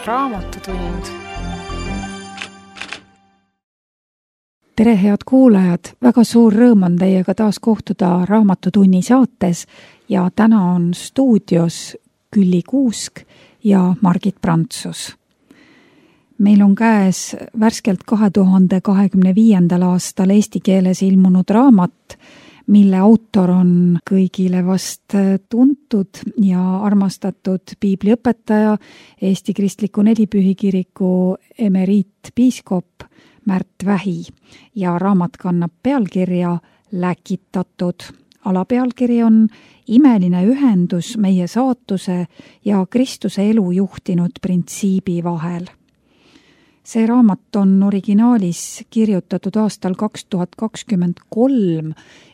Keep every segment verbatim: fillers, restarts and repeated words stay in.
Raamatutund. Tere, head kuulajad! Väga suur rõõm on teiega taas kohtuda Raamatutunni saates ja täna on stuudios Külli Kuusk ja Margit Prantsus. Meil on käes värskelt kahe tuhande kahekümne viiendal aastal eesti keeles ilmunud raamat, mille autor on kõigile vast tuntud ja armastatud piibliõpetaja, Eesti Kristliku Nelipühikiriku emeriitpiiskop Märt Vähi ja raamat kannab pealkirja Läkitatud. Alapealkiri on Imeline ühendus meie saatuse ja Kristuse elu juhtinud printsiibi vahel. See raamat on originaalis kirjutatud aastal kaks tuhat kakskümmend kolm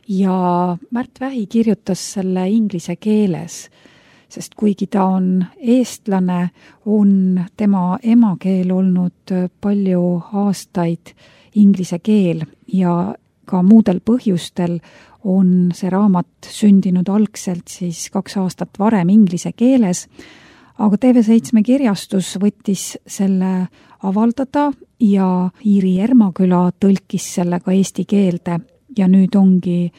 ja Märt Vähi kirjutas selle inglise keeles, sest kuigi ta on eestlane, on tema emakeel olnud palju aastaid inglise keel ja ka muudel põhjustel on see raamat sündinud algselt siis kaks aastat varem inglise keeles, aga T V seitse kirjastus võttis selle avaldada ja Iiri Ermaküla tõlkis selle ka eesti keelde ja nüüd ongi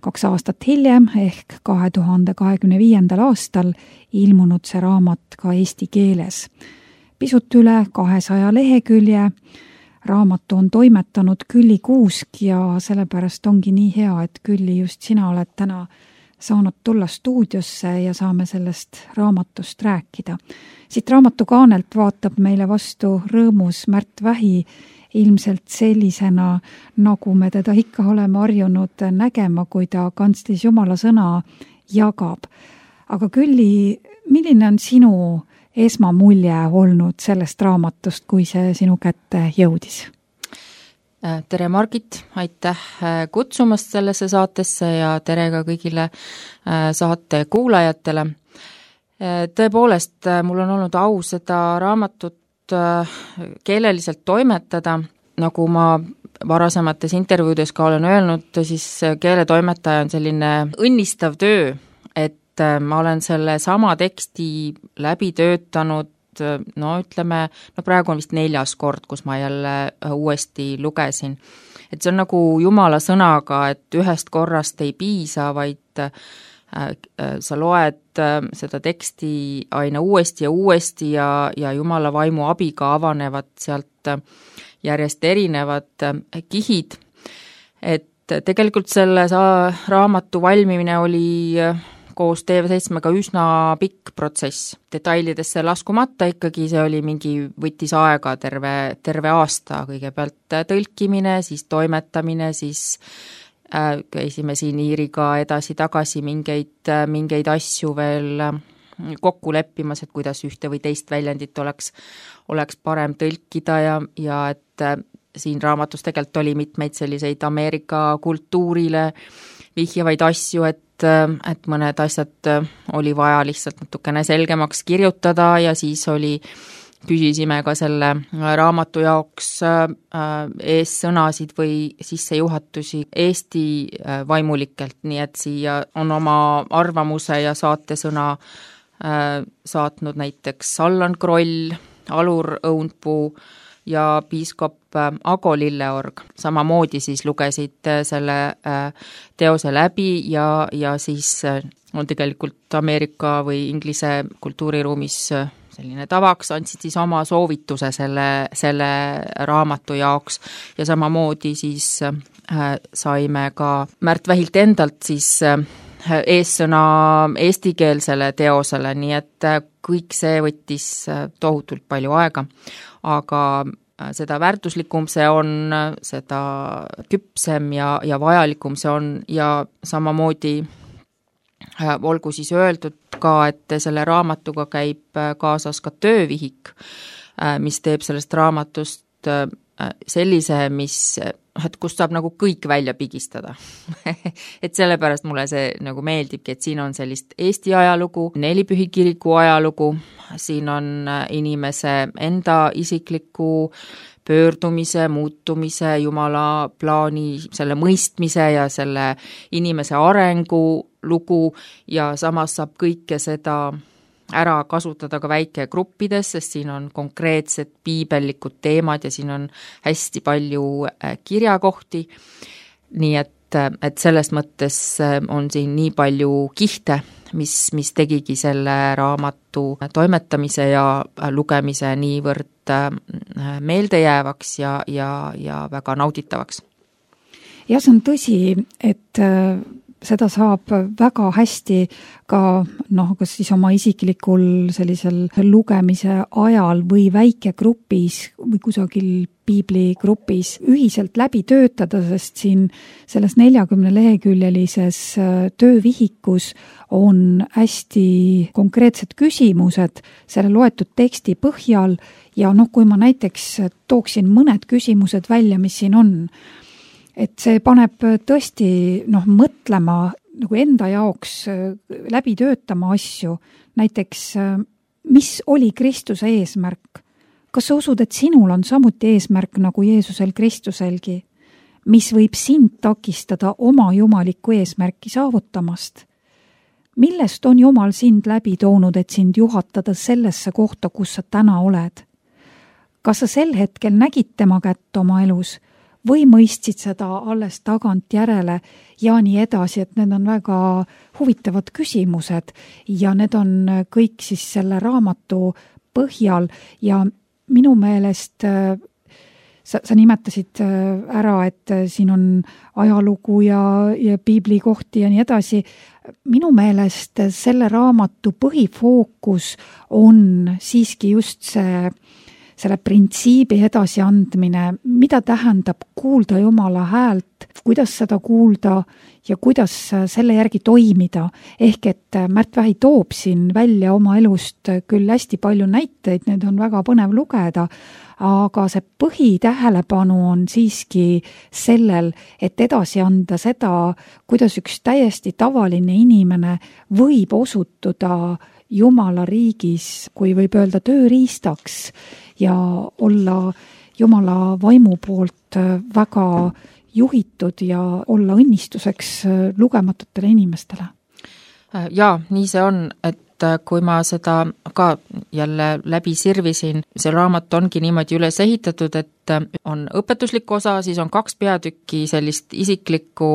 kaks aastat hiljem ehk kahe tuhande kahekümne viiendal aastal ilmunud see raamat ka eesti keeles. Pisut üle kahesaja lehekülje. Raamatu on toimetanud Külli Kuusk ja sellepärast ongi nii hea, et Külli, just sina oled täna saanud tulla stuudiosse ja saame sellest raamatust rääkida. Siit raamatukaanelt vaatab meile vastu rõõmus Märt Vähi, ilmselt sellisena, nagu me teda ikka oleme harjunud nägema, kui ta kantslis Jumala sõna jagab. Aga Külli, milline on sinu esmamulje olnud sellest raamatust, kui see sinu kätte jõudis? Tere Margit, aitäh kutsumast sellesse saatesse ja tere ka kõigile saate kuulajatele. Tõepoolest, mul on olnud au seda raamatut keeleliselt toimetada, nagu ma varasemates intervjuudes ka olen öelnud, siis keeletoimetaja on selline õnnistav töö, et ma olen selle sama teksti läbi töötanud, no ütleme, no praegu on vist neljas kord, kus ma jälle uuesti lugesin. Et see on nagu Jumala sõnaga, et ühest korrast ei piisa, vaid sa loed seda teksti aina uuesti ja uuesti ja, ja Jumala vaimu abiga avanevad sealt järjest erinevad kihid. Et tegelikult selle raamatu valmimine oli koos T V seitsmega üsna pikk protsess. Detailidesse laskumata ikkagi see oli mingi, võttis aega terve, terve aasta, kõigepealt tõlkimine, siis toimetamine, siis äh, käisime siin Iiriga edasi-tagasi mingeid, mingeid asju veel kokku leppimas, et kuidas ühte või teist väljendit oleks, oleks parem tõlkida ja, ja et äh, siin raamatus tegelikult oli mitmeid selliseid Ameerika kultuurile vihjavaid asju, et et mõned asjad oli vaja lihtsalt natukene selgemaks kirjutada ja siis oli, küsisime ka selle raamatu jaoks eessõnasid või sissejuhatusi Eesti vaimulikelt, nii et siia on oma arvamuse ja saatesõna saatnud näiteks Allan Kroll, Alur Õunpuu ja piiskop Ago Lilleorg. Samamoodi siis lugesid selle teose läbi ja, ja siis on tegelikult Ameerika või Inglise kultuuriruumis selline tavaks, andsid siis oma soovituse selle, selle raamatu jaoks ja samamoodi siis saime ka Märt Vähilt endalt siis eessõna eestikeelsele teosele, nii et kõik see võttis tohutult palju aega, aga seda väärtuslikum see on, seda küpsem ja, ja vajalikum see on ja samamoodi olgu siis öeldud ka, et selle raamatuga käib kaasas ka töövihik, mis teeb sellest raamatust sellise, mis, et kust saab nagu kõik välja pigistada. et sellepärast mulle see nagu meeldibki, et siin on sellist Eesti ajalugu, Nelipühikiriku ajalugu, siin on inimese enda isikliku pöördumise, muutumise, Jumala plaani, selle mõistmise ja selle inimese arengu lugu ja samas saab kõike seda ära kasutada ka väikegruppides, sest siin on konkreetsed piibellikud teemad ja siin on hästi palju kirjakohti, nii et, et selles mõttes on siin nii palju kihte, mis, mis tegigi selle raamatu toimetamise ja lugemise niivõrd meeldejäävaks ja, ja, ja väga nauditavaks. Ja see on tõsi, et seda saab väga hästi ka noh, kas siis oma isiklikul sellisel lugemise ajal või väikegrupis või kusagil piibligrupis ühiselt läbi töötada, sest siin selles neljakümne leheküljelises töövihikus on hästi konkreetsed küsimused selle loetud teksti põhjal ja noh, kui ma näiteks tooksin mõned küsimused välja, mis siin on, et see paneb tõesti noh, mõtlema nagu enda jaoks läbi töötama asju. Näiteks, mis oli Kristuse eesmärk? Kas sa usud, et sinul on samuti eesmärk nagu Jeesusel Kristuselgi? Mis võib sind takistada oma jumalikku eesmärki saavutamast? Millest on Jumal sind läbi toonud, et sind juhatada sellesse kohta, kus sa täna oled? Kas sa sel hetkel nägid tema kätt oma elus? Või mõistsid seda alles tagant järele ja nii edasi, et need on väga huvitavad küsimused ja need on kõik siis selle raamatu põhjal ja minu meelest sa, sa nimetasid ära, et siin on ajalugu ja, ja piiblikohti ja nii edasi. Minu meelest selle raamatu põhifookus on siiski just see selle printsiibi edasiandmine, mida tähendab kuulda Jumala häält, kuidas seda kuulda ja kuidas selle järgi toimida. Ehk et Märt Vähi toob siin välja oma elust küll hästi palju näiteid, need on väga põnev lugeda, aga see põhitähelepanu on siiski sellel, et edasi anda seda, kuidas üks täiesti tavaline inimene võib osutuda Jumala riigis, kui võib öelda tööriistaks ja olla Jumala vaimu poolt väga juhitud ja olla õnnistuseks lugematutele inimestele. Jaa, nii see on, et kui ma seda ka jälle läbi sirvisin, see raamat ongi niimoodi üles ehitatud, et on õpetuslik osa, siis on kaks peatükki sellist isiklikku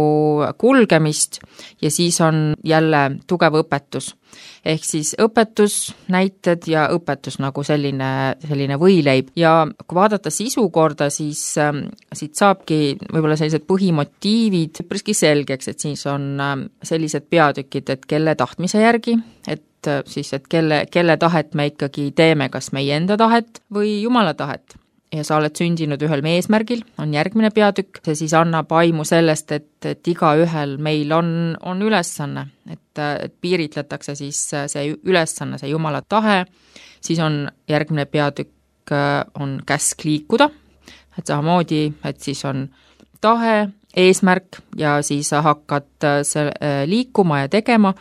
kulgemist ja siis on jälle tugev õpetus. Ehk siis õpetus, näited ja õpetus nagu selline, selline võileib. Ja kui vaadata sisu korda, siis äh, siit saabki võib-olla sellised põhimotiivid üpriski selgeks, et siis on äh, sellised peatükid, et kelle tahtmise järgi, et siis, et kelle, kelle tahet me ikkagi teeme, kas meie enda tahet või Jumala tahet. Ja sa oled sündinud ühel eesmärgil, on järgmine peatükk, see siis annab aimu sellest, et, et iga ühel meil on, on ülesanne, et, et piiritletakse siis see ülesanne, see Jumala tahe, siis on järgmine peatükk, on käsk liikuda, et samamoodi, et siis on tahe, eesmärk ja siis sa hakkad selle liikuma ja tegema.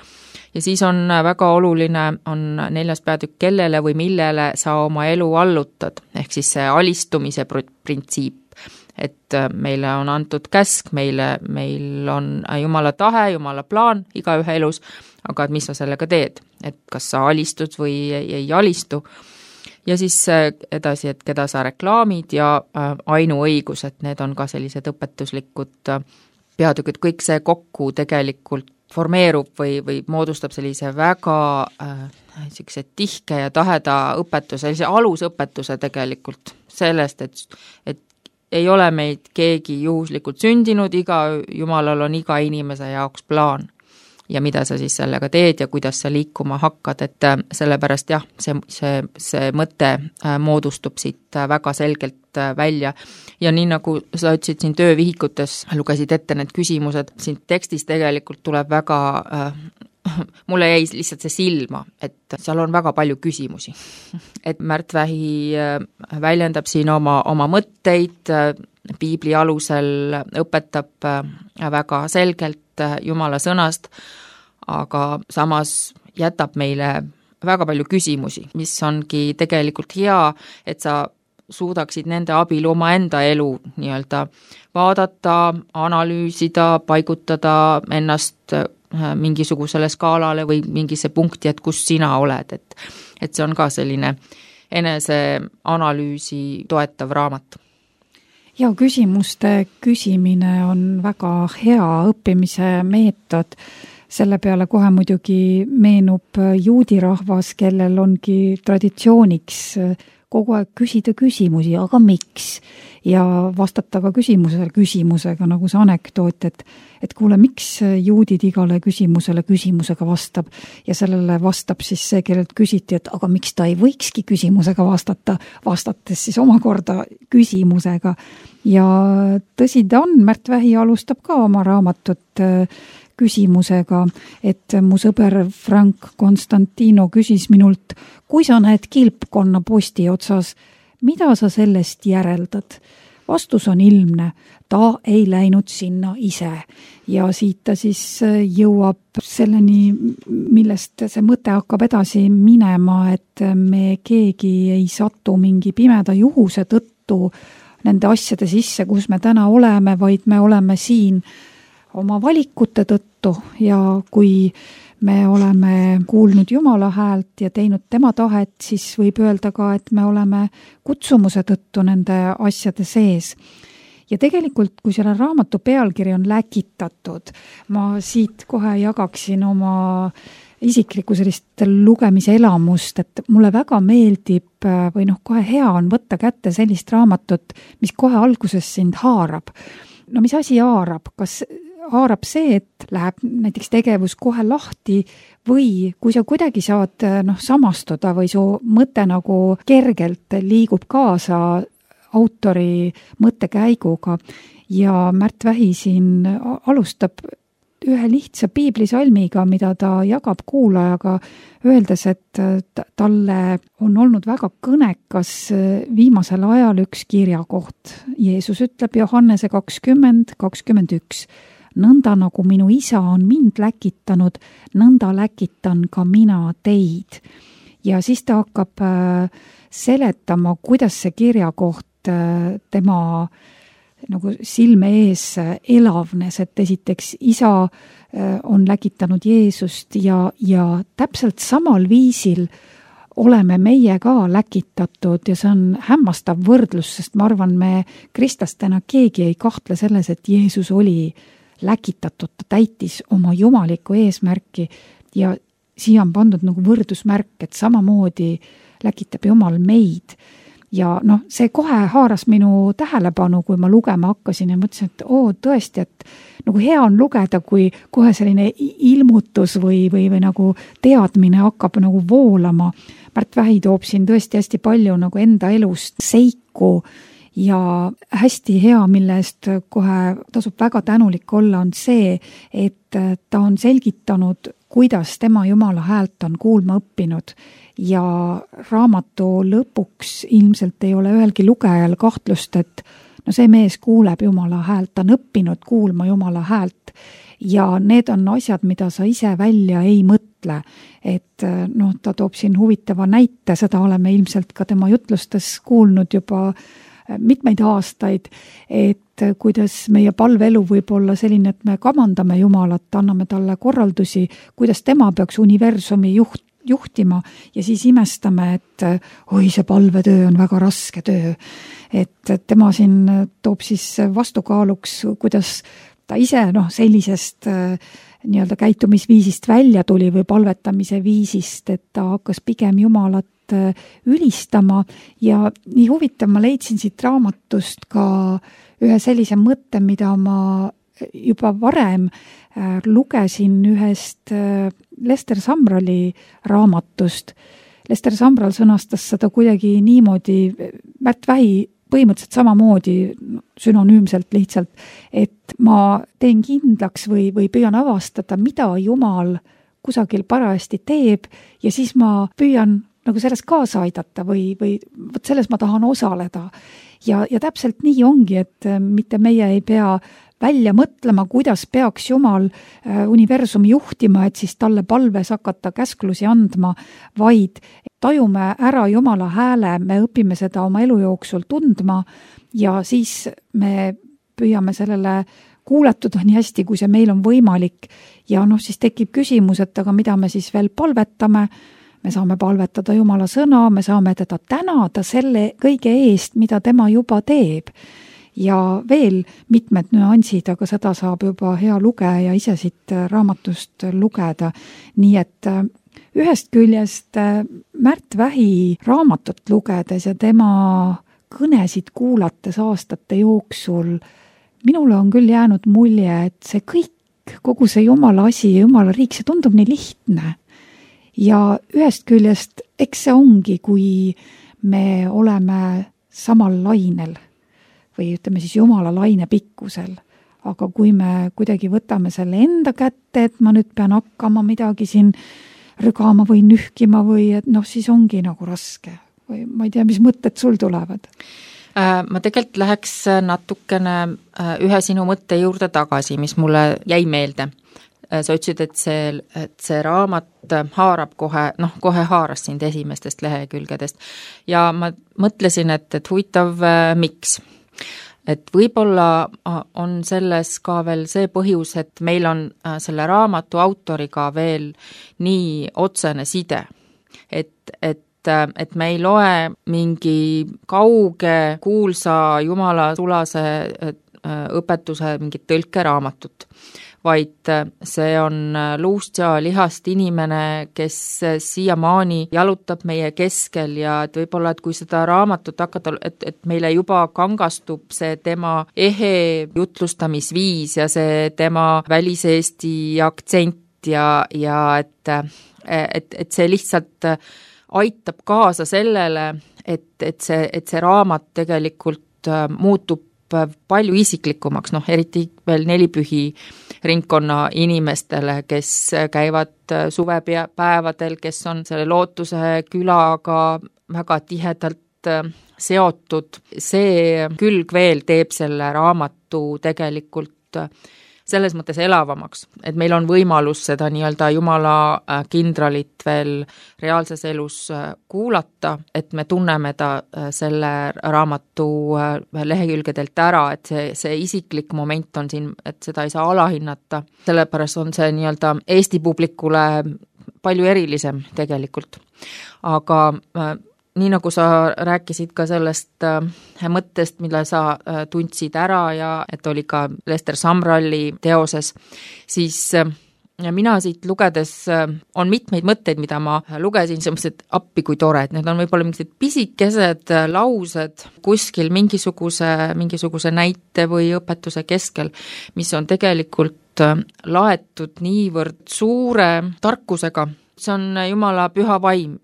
Ja siis on väga oluline, on neljas peatükk, kellele või millele sa oma elu allutad, ehk siis see alistumise printsiip, et meile on antud käsk, meile, meil on Jumala tahe, Jumala plaan iga ühe elus, aga et mis sa sellega teed, et kas sa alistud või ei, ei alistu. Ja siis edasi, et keda sa reklaamid ja ainuõigus, et need on ka sellised õpetuslikud peatükid, kõik see kokku tegelikult formeerub või, või moodustab sellise väga äh, tihke ja taheda õpetuse, sellise alusõpetuse tegelikult sellest, et, et ei ole meid keegi juhuslikult sündinud, iga Jumalal on iga inimese jaoks plaan ja mida sa siis sellega teed ja kuidas sa liikuma hakkad, et sellepärast jah, see, see, see mõte äh, moodustub siit äh, väga selgelt äh, välja ja nii nagu sa ütlesid siin töövihikutes, lugesid ette need küsimused, siin tekstis tegelikult tuleb väga, äh, mulle jäi lihtsalt see silma, et seal on väga palju küsimusi. Et Märt Vähi äh, väljendab siin oma, oma mõtteid, äh, piibli alusel õpetab äh, väga selgelt Jumala sõnast, aga samas jätab meile väga palju küsimusi, mis ongi tegelikult hea, et sa suudaksid nende abil oma enda elu nii-öelda vaadata, analüüsida, paigutada ennast mingisugusele skaalale või mingisse punkti, et kus sina oled, et, et see on ka selline eneseanalüüsi toetav raamat. Ja küsimuste küsimine on väga hea õppimise meetod. Selle peale kohe muidugi meenub juudi rahvas, kellel ongi traditsiooniks kogu aeg küsida küsimusi, aga miks? Ja vastata ka küsimusele küsimusega, nagu see anekdoot, et, et kuule, miks juudid igale küsimusele küsimusega vastab ja sellele vastab siis see, kellelt küsiti, et aga miks ta ei võikski küsimusega vastata, vastates siis omakorda küsimusega. Ja tõsi ta on, Märt Vähi alustab ka oma raamatut küsimusega, et mu sõber Frank Konstantino küsis minult, kui sa näed kilpkonna posti otsas, mida sa sellest järeldad? Vastus on ilmne, ta ei läinud sinna ise ja siit ta siis jõuab selleni, millest see mõte hakkab edasi minema, et me keegi ei satu mingi pimeda juhuse tõttu nende asjade sisse, kus me täna oleme, vaid me oleme siin oma valikute tõttu ja kui me oleme kuulnud Jumala häält ja teinud tema tahet, siis võib öelda ka, et me oleme kutsumuse tõttu nende asjade sees. Ja tegelikult, kui selle raamatu pealkiri on läkitatud, ma siit kohe jagaksin oma isiklikku sellist lugemise elamust, et mulle väga meeldib või noh, kohe hea on võtta kätte sellist raamatut, mis kohe alguses sind haarab. No mis asi haarab? Kas haarab see, et läheb näiteks tegevus kohe lahti või kui sa kuidagi saad noh, samastuda või su mõte nagu kergelt liigub kaasa autori mõttekäiguga ja Märt Vähi siin alustab ühe lihtsa piiblisalmiga, mida ta jagab kuulajaga, öeldes, et talle on olnud väga kõnekas viimasel ajal üks kirjakoht. Jeesus ütleb Johannese kakskümmend kakskümmend üks. Nõnda nagu minu isa on mind läkitanud, nõnda läkitan ka mina teid. Ja siis ta hakkab seletama, kuidas see kirjakoht tema nagu silme ees elavnes, et esiteks isa on läkitanud Jeesust ja, ja täpselt samal viisil oleme meie ka läkitatud ja see on hämmastav võrdlus, sest ma arvan, me kristlastena keegi ei kahtle selles, et Jeesus oli läkitatud, ta täitis oma jumalikku eesmärki ja siia on pandud nagu võrdusmärk, et samamoodi läkitab Jumal meid. Ja noh, see kohe haaras minu tähelepanu, kui ma lugema hakkasin ja mõtlesin, et oo, tõesti, et nagu hea on lugeda, kui kohe selline ilmutus või, või, või nagu teadmine hakkab nagu voolama. Märt Vähi toob siin tõesti hästi palju nagu enda elust seiku ja hästi hea, mille eest kohe tasub väga tänulik olla, on see, et ta on selgitanud, kuidas tema Jumala häält on kuulma õppinud ja raamatu lõpuks ilmselt ei ole ühelgi lugejal kahtlust, et no see mees kuuleb Jumala häält, ta on õppinud kuulma Jumala häält ja need on asjad, mida sa ise välja ei mõtle. Et noh, ta toob siin huvitava näite, seda oleme ilmselt ka tema jutlustes kuulnud juba mitmeid aastaid, et kuidas meie palveelu võib olla selline, et me kamandame Jumalat, anname talle korraldusi, kuidas tema peaks universumi juht, juhtima ja siis imestame, et oi, see palvetöö on väga raske töö. Et tema siin toob siis vastukaaluks, kuidas ta ise noh, sellisest nii-öelda käitumisviisist välja tuli või palvetamise viisist, et ta hakkas pigem Jumalat ülistama ja nii huvitav, ma leidsin siit raamatust ka ühe sellise mõtte, mida ma juba varem lugesin ühest Lester Samrali raamatust. Lester Samral sõnastas seda kuidagi niimoodi, Märt Vähi põhimõtteliselt samamoodi sünonüümselt lihtsalt, et ma teen kindlaks või, või püüan avastada, mida Jumal kusagil parajasti teeb ja siis ma püüan nagu selles kaasa aidata või, või võt selles ma tahan osaleda. Ja, ja täpselt nii ongi, et mitte meie ei pea välja mõtlema, kuidas peaks Jumal universumi juhtima, et siis talle palves hakata käsklusi andma, vaid tajume ära Jumala hääle, me õpime seda oma elu jooksul tundma ja siis me püüame sellele kuulatud on nii hästi, kui see meil on võimalik ja noh, siis tekib küsimus, et aga mida me siis veel palvetame, me saame palvetada Jumala sõna, me saame teda tänada selle kõige eest, mida tema juba teeb. Ja veel mitmed nüansid, aga seda saab juba hea lugeja ise siit raamatust lugeda. Nii et ühest küljest Märt Vähi raamatut lugedes ja tema kõnesid kuulates aastate jooksul, minule on küll jäänud mulje, et see kõik, kogu see Jumala asi ja Jumala riik, see tundub nii lihtne. Ja ühest küljest, eks see ongi, kui me oleme samal lainel või ütleme siis Jumala laine pikkusel. Aga kui me kuidagi võtame selle enda kätte, et ma nüüd pean hakkama midagi siin rügama või nühkima või et noh, siis ongi nagu raske. Või ma ei tea, mis mõtted sul tulevad? Ma tegelikult läheks natukene ühe sinu mõtte juurde tagasi, mis mulle jäi meelde. Sa ütlesid, et see, et see raamat haarab kohe, noh, kohe haaras sind esimestest lehekülgedest. Ja ma mõtlesin, et, et huvitav, miks? Et võib-olla on selles ka veel see põhjus, et meil on selle raamatu autoriga veel nii otsene side, et, et et me ei loe mingi kauge, kuulsa Jumala sulase õpetuse mingit tõlkeraamatut, vaid see on luust ja lihast inimene, kes siiamaani jalutab meie keskel ja et võib-olla, et kui seda raamatut hakata, et, et meile juba kangastub see tema ehe jutlustamisviis ja see tema väliseesti aktsent ja, ja et, et, et see lihtsalt aitab kaasa sellele, et, et, see, et see raamat tegelikult muutub palju isiklikumaks, noh, eriti veel nelipühi ringkonna inimestele, kes käivad suvepäevadel, kes on selle Lootuse külaga väga tihedalt seotud. See külg veel teeb selle raamatu tegelikult selles mõttes elavamaks, et meil on võimalus seda nii-öelda Jumala kindralit veel reaalses elus kuulata, et me tunneme ta selle raamatu lehekülgedelt ära, et see, see isiklik moment on siin, et seda ei saa alahinnata, sellepärast on see nii-öelda Eesti publikule palju erilisem tegelikult. Aga nii nagu sa rääkisid ka sellest äh, mõttest, mille sa äh, tundsid ära ja et oli ka Lester Sumralli teoses, siis äh, mina siit lugedes äh, on mitmeid mõtteid, mida ma lugesin, sellised appi kui tore, et need on võib-olla mingisugused pisikesed äh, laused kuskil mingisuguse, mingisuguse näite või õpetuse keskel, mis on tegelikult äh, laetud niivõrd suure tarkusega. See on Jumala püha vaim,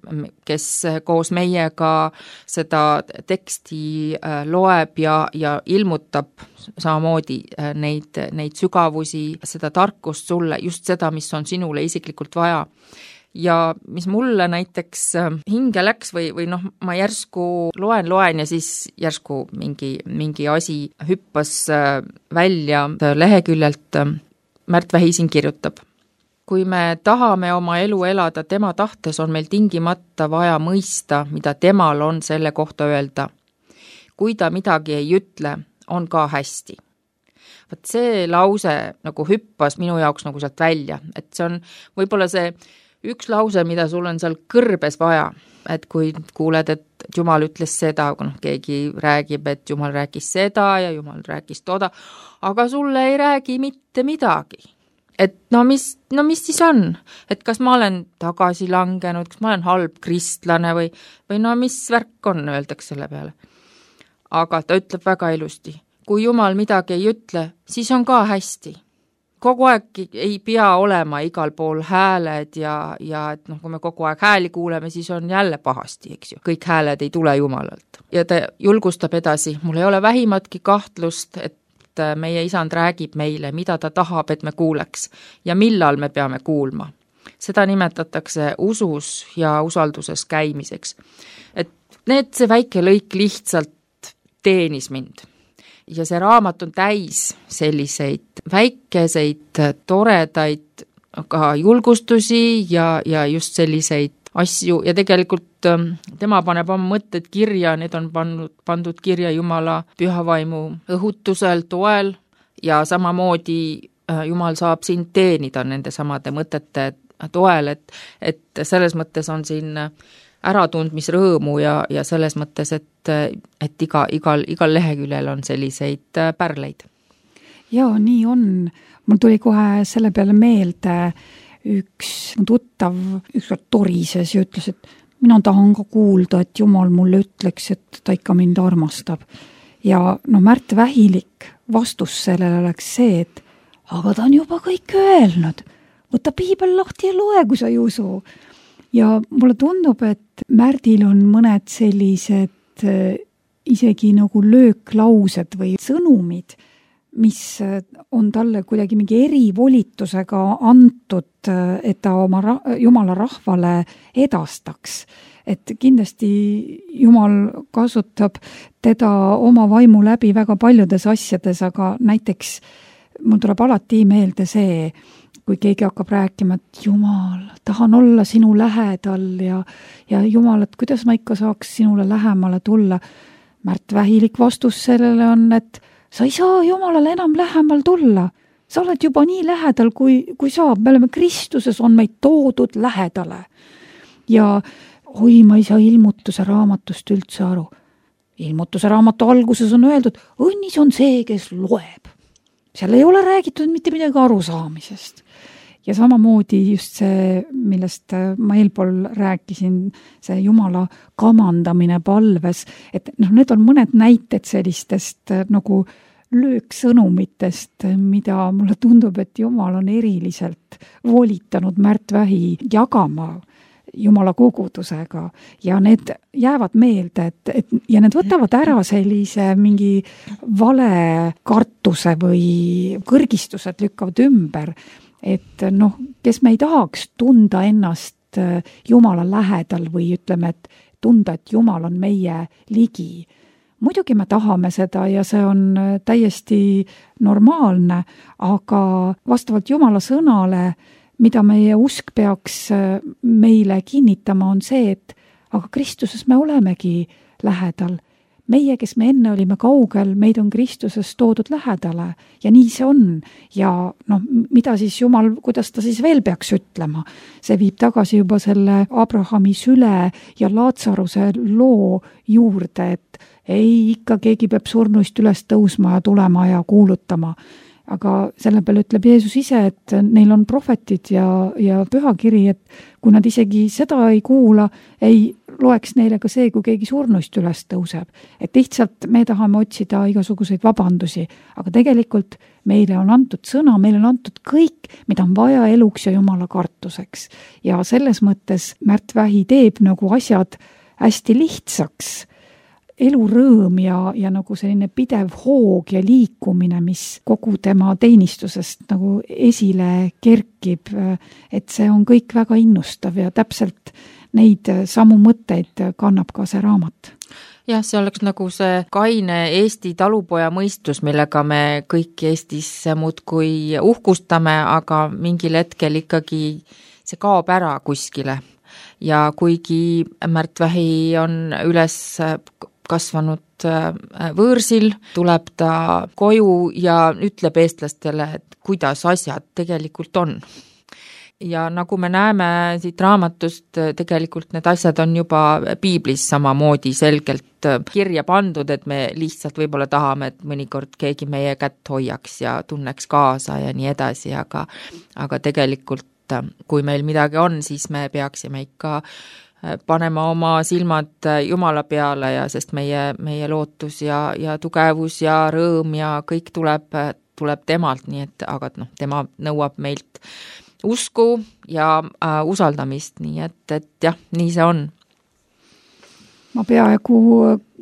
kes koos meiega seda teksti loeb ja, ja ilmutab samamoodi neid, neid sügavusi, seda tarkust sulle, just seda, mis on sinule isiklikult vaja. Ja mis mulle näiteks hinge läks või, või noh, ma järsku loen, loen ja siis järsku mingi, mingi asi hüppas välja leheküljelt. Märt Vähi siin kirjutab. Kui me tahame oma elu elada tema tahtes, on meil tingimata vaja mõista, mida temal on selle kohta öelda. Kui ta midagi ei ütle, on ka hästi. Vaat see lause nagu hüppas minu jaoks nagu sealt välja, et see on võib-olla see üks lause, mida sul on seal kõrbes vaja, et kui kuuled, et Jumal ütles seda, kui noh, keegi räägib, et Jumal rääkis seda ja Jumal rääkis toda, aga sulle ei räägi mitte midagi. Et no mis, no mis siis on? Et kas ma olen tagasi langenud, kas ma olen halb kristlane või, või no mis värk on, öeldakse selle peale. Aga ta ütleb väga ilusti. Kui Jumal midagi ei ütle, siis on ka hästi. Kogu aeg ei pea olema igal pool hääled ja, ja et noh, kui me kogu aeg hääli kuuleme, siis on jälle pahasti, eks ju. Kõik hääled ei tule Jumalalt. Ja ta julgustab edasi. Mul ei ole vähimatki kahtlust, et meie isand räägib meile, mida ta tahab, et me kuuleks ja millal me peame kuulma. Seda nimetatakse usus ja usalduses käimiseks. Et need, see väike lõik lihtsalt teenis mind. Ja see raamat on täis selliseid väikeseid, toredaid ka julgustusi ja, ja just selliseid asju ja tegelikult tema paneb oma mõtted kirja, need on pandud, pandud kirja Jumala pühavaimu õhutusel, toel, ja samamoodi Jumal saab sind teenida nende samade mõtete toel, et, et selles mõttes on siin äratundmisrõõmu ja, ja selles mõttes, et, et iga, igal, igal leheküljel on selliseid pärleid. Jaa, nii on. Mul tuli kohe selle peale meelde üks tuttav, üks torises ja ütles, et mina tahan ka kuulda, et Jumal mulle ütleks, et ta ikka mind armastab. Ja no Märt Vähilik vastus sellele oleks see, et aga ta on juba kõik öelnud. Võta piibel lahti ja loe, kui sa ei usu. Ja mulle tundub, et Märdil on mõned sellised isegi nagu lööklaused või sõnumid, mis on talle kuidagi mingi erivolitusega antud, et ta oma ra- Jumala rahvale edastaks. Et kindlasti Jumal kasutab teda oma vaimu läbi väga paljudes asjades, aga näiteks mul tuleb alati meelde see, kui keegi hakkab rääkima, et Jumal, tahan olla sinu lähedal ja, ja Jumal, et kuidas ma ikka saaks sinule lähemale tulla. Märt Vähilik vastus sellele on, et sa ei saa Jumalale enam lähemal tulla. Sa oled juba nii lähedal, kui, kui saab. Me oleme Kristuses, on meid toodud lähedale. Ja oi, ma ei saa ilmutuse raamatust üldse aru. Ilmutuse raamatu alguses on öeldud, õnnis on see, kes loeb. Seal ei ole räägitud mitte midagi arusaamisest. Ja samamoodi just see, millest ma eelpool rääkisin, see Jumala kamandamine palves, et noh, need on mõned näited sellistest nagu lööksõnumitest, mida mulle tundub, et Jumal on eriliselt volitanud Märt Vähi jagama Jumala kogudusega ja need jäävad meelde, et, et ja need võtavad ära sellise mingi vale kartuse või kõrgistused lükkavad ümber, et noh, kes me ei tahaks tunda ennast Jumala lähedal või ütleme, et tunda, et Jumal on meie ligi. Muidugi me tahame seda ja see on täiesti normaalne, aga vastavalt Jumala sõnale, mida meie usk peaks meile kinnitama, on see, et aga Kristuses me olemegi lähedal. Meie, kes me enne olime kaugel, meid on Kristuses toodud lähedale ja nii see on. Ja noh, mida siis Jumal, kuidas ta siis veel peaks ütlema? See viib tagasi juba selle Abrahami süle ja Laatsaruse loo juurde, et ei, ikka keegi peab surnuist üles tõusma ja tulema ja kuulutama. Aga selle peale ütleb Jeesus ise, et neil on prohvetid ja, ja pühakiri, et kui nad isegi seda ei kuula, ei loeks neile ka see, kui keegi surnuist üles tõuseb. Et lihtsalt me tahame otsida igasuguseid vabandusi, aga tegelikult meile on antud sõna, meile on antud kõik, mida on vaja eluks ja Jumala kartuseks. Ja selles mõttes Märt Vähi teeb nagu asjad hästi lihtsaks. Elurõõm ja, ja nagu selline pidev hoog ja liikumine, mis kogu tema teenistusest nagu esile kerkib, et see on kõik väga innustav ja täpselt neid samu mõtteid kannab ka see raamat. Jah, see oleks nagu see kaine Eesti talupoja mõistus, millega me kõik Eestis muudkui uhkustame, aga mingil hetkel ikkagi see kaob ära kuskile. Ja kuigi Märt Vähi on üles kasvanud võõrsil, tuleb ta koju ja ütleb eestlastele, et kuidas asjad tegelikult on. Ja nagu me näeme siit raamatust, tegelikult need asjad on juba piiblis samamoodi selgelt kirja pandud, et me lihtsalt võib-olla tahame, et mõnikord keegi meie kätt hoiaks ja tunneks kaasa ja nii edasi, aga, aga tegelikult kui meil midagi on, siis me peaksime ikka panema oma silmad Jumala peale ja sest meie, meie lootus ja, ja tugevus ja rõõm ja kõik tuleb, tuleb temalt, nii et aga noh, tema nõuab meilt usku ja äh, usaldamist, nii et, et jah, nii see on. Ma peaaegu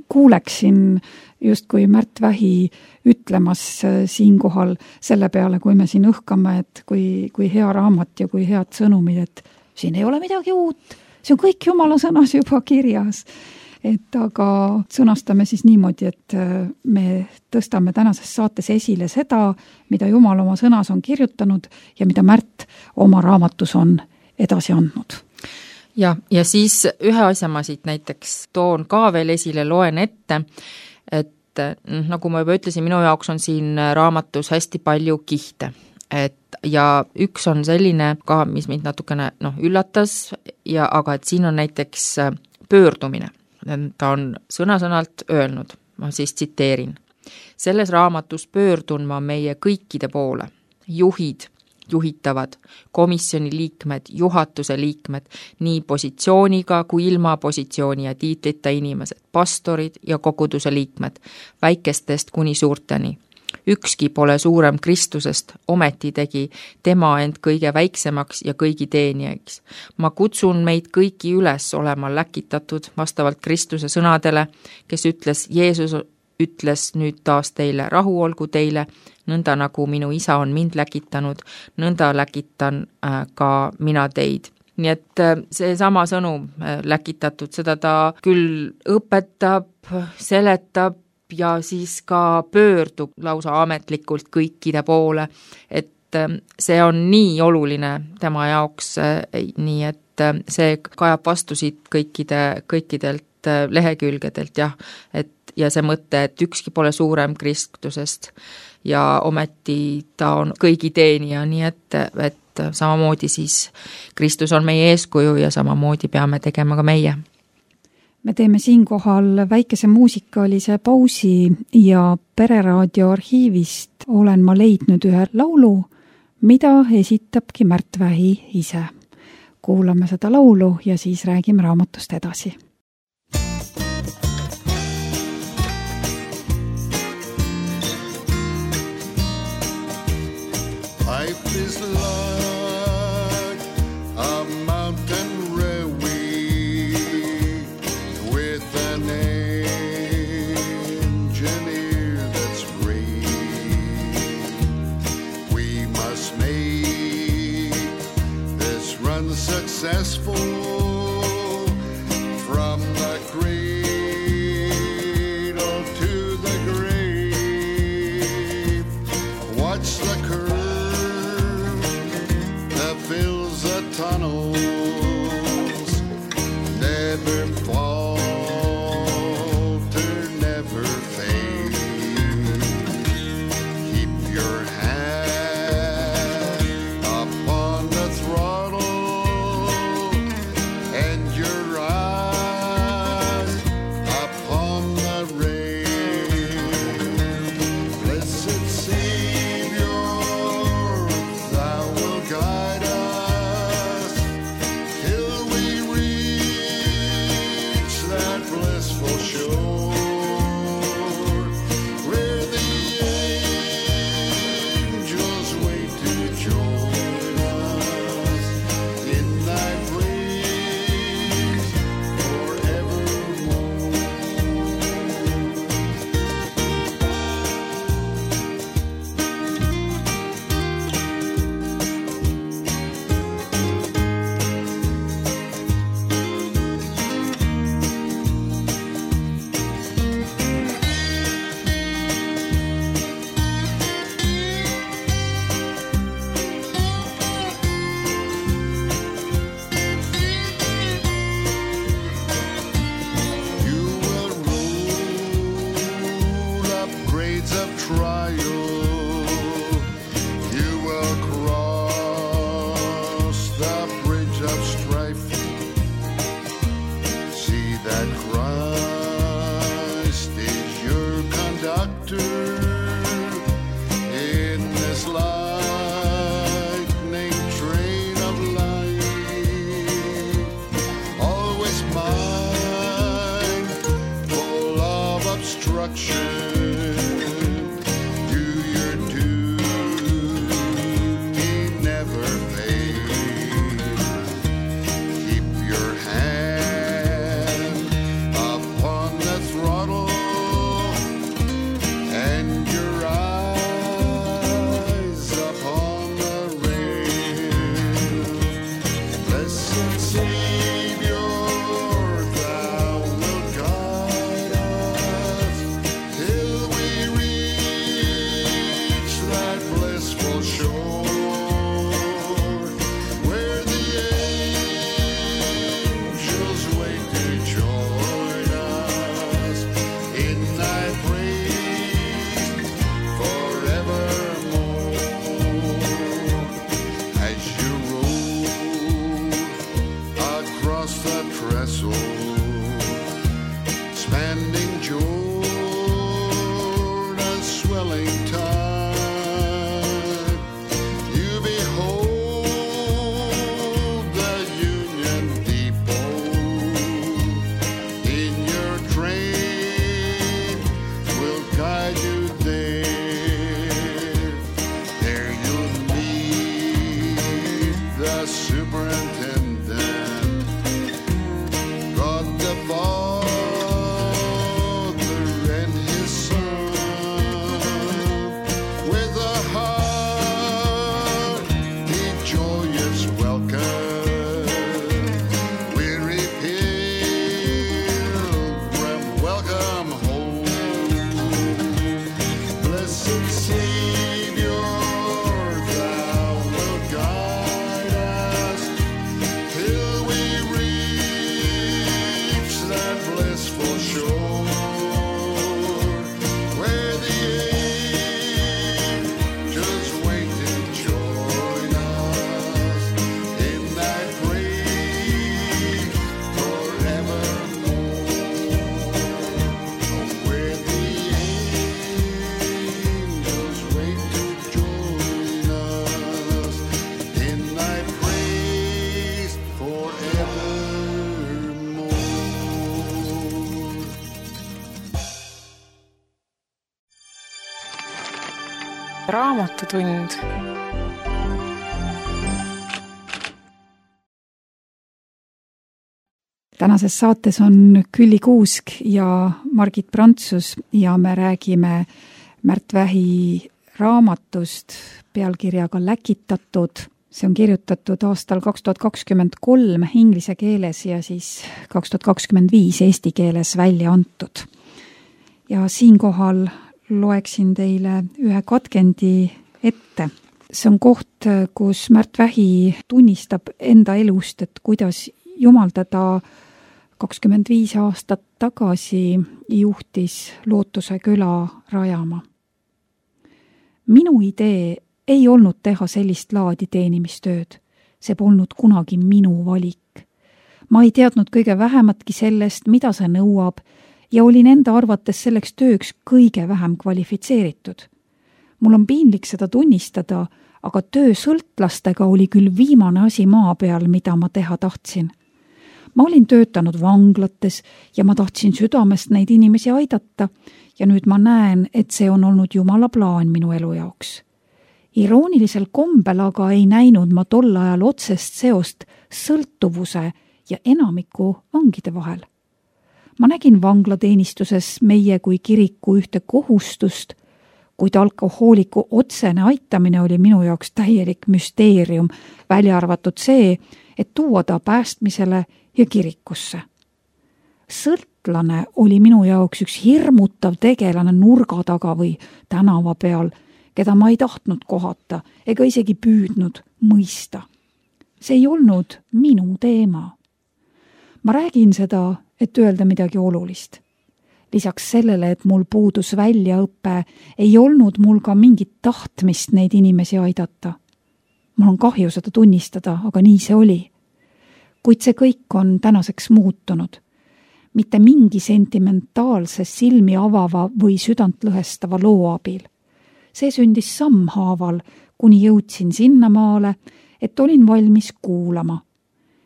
kuuleksin justkui Märt Vähi ütlemas siinkohal selle peale, kui me siin õhkame, et kui, kui hea raamat ja kui head sõnumid, et siin ei ole midagi uut. See on kõik Jumala sõnas juba kirjas, et aga sõnastame siis niimoodi, et me tõstame tänases saates esile seda, mida Jumal oma sõnas on kirjutanud ja mida Märt oma raamatus on edasi andnud. Ja, ja siis ühe asja ma siit näiteks toon ka veel esile, loen ette, et nagu ma juba ütlesin, minu jaoks on siin raamatus hästi palju kihte, et ja üks on selline ka, mis mind natukene noh, üllatas, ja aga et siin on näiteks pöördumine. Ta on sõna-sõnalt öelnud, ma siis tsiteerin. Selles raamatus pöördun ma meie kõikide poole, juhid, juhitavad, komisjoni liikmed, juhatuse liikmed, nii positsiooniga kui ilma positsiooni ja tiitlita inimesed, pastorid ja koguduse liikmed, väikestest kuni suurteni. Ükski pole suurem Kristusest, ometi tegi tema end kõige väiksemaks ja kõigi teenijaks. Ma kutsun meid kõiki üles olema läkitatud vastavalt Kristuse sõnadele, kes ütles, Jeesus ütles nüüd taas teile, rahu olgu teile, nõnda nagu minu isa on mind läkitanud, nõnda läkitan ka mina teid. Nii et see sama sõnum läkitatud, seda ta küll õpetab, seletab ja siis ka pöördub lausa ametlikult kõikide poole, et see on nii oluline tema jaoks, nii et see kajab vastu siit kõikide, kõikidelt lehekülgedelt, jah, et ja see mõte, et ükski pole suurem Kristusest ja ometi ta on kõigi teenija, nii et, et samamoodi siis Kristus on meie eeskuju ja samamoodi peame tegema ka meie. Me teeme siinkohal väikese muusikalise pausi ja Pereraadio arhiivist olen ma leidnud ühe laulu, mida esitabki Märt Vähi ise. Kuulame seda laulu ja siis räägime raamatust edasi. Life is like a mountain railway with an engineer that's great. We must make this run successful from the cradle to the grave. Watch the curve fills the tunnels, never falter, never fade. Keep your hand upon the throttle and your eyes upon the rail. Blessed Savior, thou will guide and Raamatutund. Tänases saates on Külli Kuusk ja Margit Prantsus ja me räägime Märt Vähi raamatust pealkirjaga Läkitatud. See on kirjutatud aastal kaks tuhat kakskümmend kolm inglise keeles ja siis kaks tuhat kakskümmend viis eesti keeles välja antud. Ja siinkohal loeksin teile ühe katkendi ette. See on koht, kus Märt Vähi tunnistab enda elust, et kuidas Jumal teda kakskümmend viis aastat tagasi juhtis Lootuse küla rajama. Minu idee ei olnud teha sellist laadi teenimistööd. See polnud kunagi minu valik. Ma ei teadnud kõige vähematki sellest, mida see nõuab ja olin enda arvates selleks tööks kõige vähem kvalifitseeritud. Mul on piinlik seda tunnistada, aga töö sõltlastega oli küll viimane asi maa peal, mida ma teha tahtsin. Ma olin töötanud vanglates ja ma tahtsin südamest neid inimesi aidata ja nüüd ma näen, et see on olnud Jumala plaan minu elu jaoks. Iroonilisel kombel aga ei näinud ma tol ajal otsest seost sõltuvuse ja enamiku vangide vahel. Ma nägin vanglateenistuses meie kui kiriku ühte kohustust, kuid alkohooliku otsene aitamine oli minu jaoks täielik müsteerium, välja arvatud see, et tuua ta päästmisele ja kirikusse. Sõltlane oli minu jaoks üks hirmutav tegelane nurga taga või tänava peal, keda ma ei tahtnud kohata ega isegi püüdnud mõista. See ei olnud minu teema. Ma räägin seda, et öelda midagi olulist. Lisaks sellele, et mul puudus väljaõpe, ei olnud mul ka mingit tahtmist neid inimesi aidata. Mul on kahju seda tunnistada, aga nii see oli. Kuid see kõik on tänaseks muutunud. Mitte mingi sentimentaalse silmi avava või südantlõhestava loo abil. See sündis sammhaaval, kuni jõudsin sinnamaale, et olin valmis kuulama.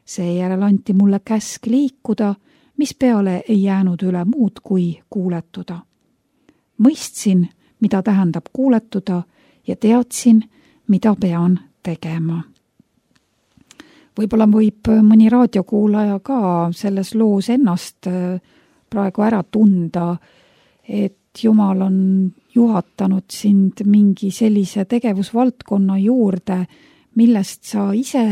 Seejärel anti mulle käsk liikuda, mis peale ei jäänud üle muud kui kuuletuda. Mõistsin, mida tähendab kuuletuda ja teadsin, mida pean tegema. Võib-olla võib mõni raadiokuulaja ka selles loos ennast praegu ära tunda, et Jumal on juhatanud sind mingi sellise tegevusvaldkonna juurde, millest sa ise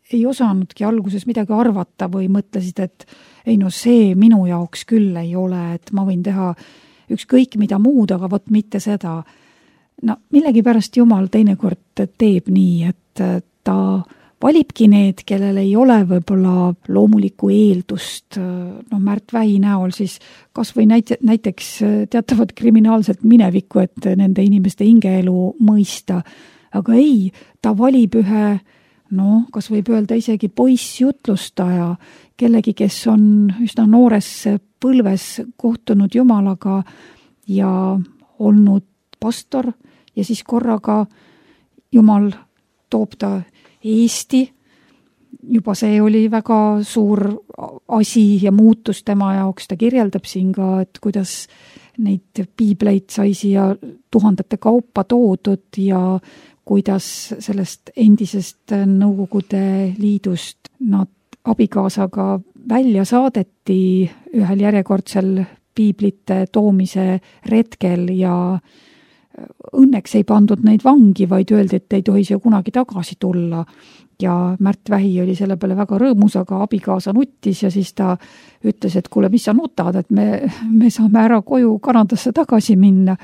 ei osanudki alguses midagi arvata või mõtlesid, et ei no see minu jaoks küll ei ole, et ma võin teha ükskõik mida muud, aga vot mitte seda. No millegipärast Jumal teinekord teeb nii, et ta valibki need, kellel ei ole võib-olla loomulikku eeldust, no Märt Vähi näol siis kas või näite, näiteks teatavad kriminaalselt minevikku, et nende inimeste hingeelu mõista, aga ei, ta valib ühe, no kas võib öelda isegi poissjutlustaja, kellegi, kes on üsna noores põlves kohtunud Jumalaga ja olnud pastor ja siis korraga Jumal toob ta Eesti, juba see oli väga suur asi ja muutus tema jaoks, ta kirjeldab siin ka, et kuidas neid piibleid sai siia tuhandete kaupa toodud ja kuidas sellest endisest Nõukogude Liidust nad abikaasaga välja saadeti ühel järjekordsel piiblite toomise retkel ja õnneks ei pandud neid vangi, vaid öeldi, et ei tohi siia kunagi tagasi tulla. Ja Märt Vähi oli selle peale väga rõõmus, aga abikaasa nuttis ja siis ta ütles, et kuule, mis sa nutad, et me, me saame ära koju Kanadasse tagasi minna.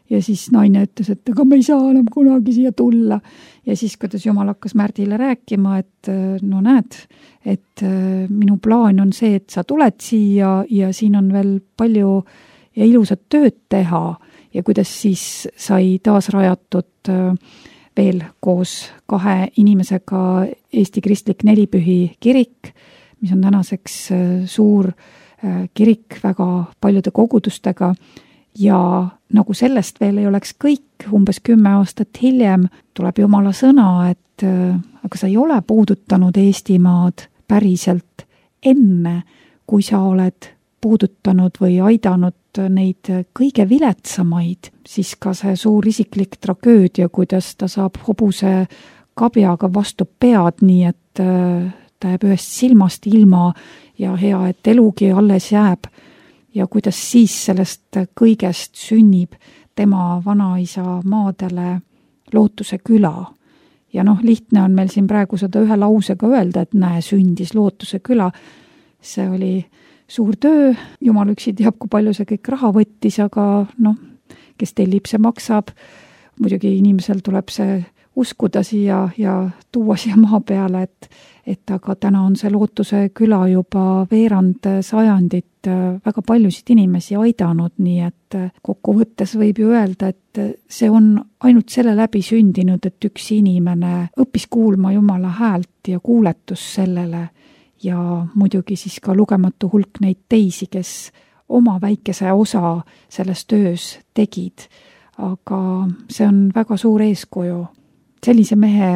Ja siis naine ütles, et aga me ei saa enam kunagi siia tulla. Ja siis, kuidas Jumal hakkas Märdile rääkima, et no näed, et minu plaan on see, et sa tuled siia ja siin on veel palju ja ilusat tööd teha. Ja kuidas siis sai taas rajatud veel koos kahe inimesega Eesti Kristlik Nelipühi kirik, mis on tänaseks suur kirik väga paljude kogudustega ja nagu sellest veel ei oleks kõik, umbes kümme aastat hiljem tuleb Jumala sõna, et aga sa ei ole puudutanud Eestimaad päriselt enne, kui sa oled puudutanud või aidanud neid kõige viletsamaid, siis ka see suur isiklik tragöödia, kuidas ta saab hobuse kabjaga vastu pead, nii et ta jääb ühest silmast ilma ja hea, et elugi alles jääb. Ja kuidas siis sellest kõigest sünnib tema vanaisa maadele Lootuse küla. Ja noh, lihtne on meil siin praegu seda ühe lausega öelda, et näe, sündis Lootuse küla. See oli suur töö, jumal üksi teab, kui palju see kõik raha võttis, aga noh, kes tellib, see maksab. Muidugi inimesel tuleb see uskuda siia ja tuua siia maa peale, et, et aga täna on see Lootuse küla juba veerand sajandit väga paljusid inimesi aidanud, nii et kokkuvõttes võib ju öelda, et see on ainult selle läbi sündinud, et üks inimene õppis kuulma Jumala häält ja kuuletus sellele ja muidugi siis ka lugematu hulk neid teisi, kes oma väikese osa selles töös tegid. Aga see on väga suur eeskuju. Sellise mehe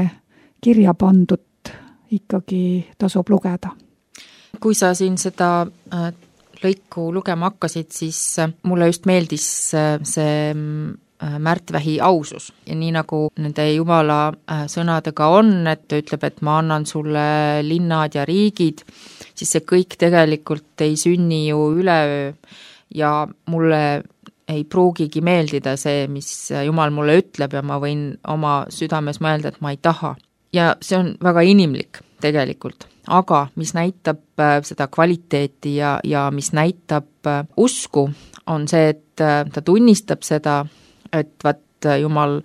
kirja pandut ikkagi tasub lugeda. Kui sa siin seda lõiku lugema hakkasid, siis mulle just meeldis see Märtvähi ausus. Ja nii nagu nende Jumala sõnadega on, et ta ütleb, et ma annan sulle linnad ja riigid, siis see kõik tegelikult ei sünni ju üleöö ja mulle ei pruugigi meeldida see, mis Jumal mulle ütleb ja ma võin oma südames mõelda, et ma ei taha. Ja see on väga inimlik tegelikult, aga mis näitab seda kvaliteeti ja, ja mis näitab usku, on see, et ta tunnistab seda, et vat Jumal